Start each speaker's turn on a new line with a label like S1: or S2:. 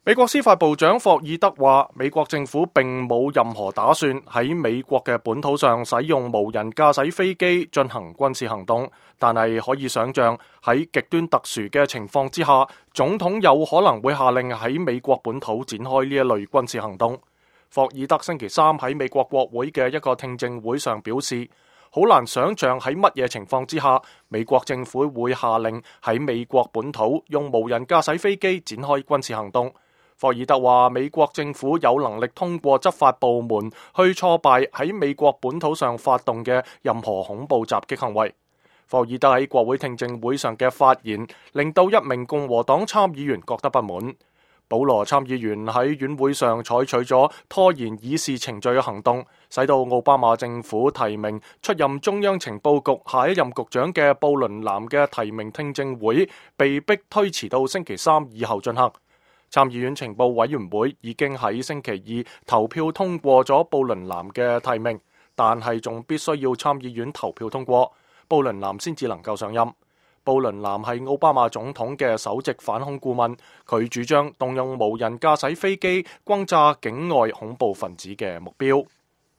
S1: 美國司法部長霍爾德話，美國政府並冇任何打算喺美國嘅本土上使用無人駕駛飛機進行軍事行動，但係可以想象喺極端特殊嘅情況之下，總統有可能會下令喺美國本土展開呢一類軍事行動。霍爾德星期三喺美國國會嘅一個聽證會上表示，好難想象喺乜嘢情況之下，美國政府會下令喺美國本土用無人駕駛飛機展開軍事行動。霍爾德話，美國政府有能力通過執法部門去挫敗喺美國本土上發動嘅任何恐怖襲擊行為。霍爾德喺國會聽證會上嘅發言，令到一名共和黨參議員覺得不滿。保羅參議員喺院會上採取咗拖延議事程序嘅行動，使到奧巴馬政府提名出任中央情報局下一任局長嘅布倫南嘅提名聽證會被迫推遲到星期三以後進行。參議院情報委員會已經喺星期二投票通過咗布倫南嘅提名，但係仲必須要參議院投票通過，布倫南先至能夠上任。布倫南係奧巴馬總統嘅首席反恐顧問，佢主張動用無人駕駛飛機轟炸境外恐怖分子嘅目標。